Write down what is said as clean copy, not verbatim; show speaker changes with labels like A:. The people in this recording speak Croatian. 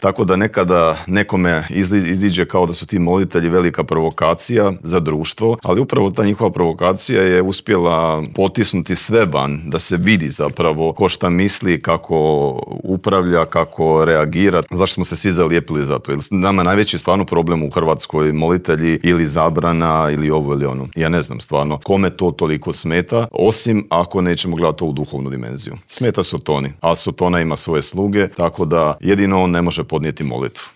A: Tako da nekada nekome iziđe kao da su ti molitelji velika provokacija za društvo, ali upravo ta njihova provokacija je uspjela potisnuti sve van, da se vidi zapravo ko šta misli, kako upravlja, kako reagira. Zašto smo se svi zalijepili za to? Jer nama najveći stvarno problem u Hrvatskoj molitelji ili zabrana ili ovo ili ono. Ja ne znam stvarno kome to toliko smeta, osim ako nećemo gledati to u duhovnu dimenziju. Smeta Sotoni, a Sotona ima svoje sluge, tako da jedino on ne može podnijeti molitvu.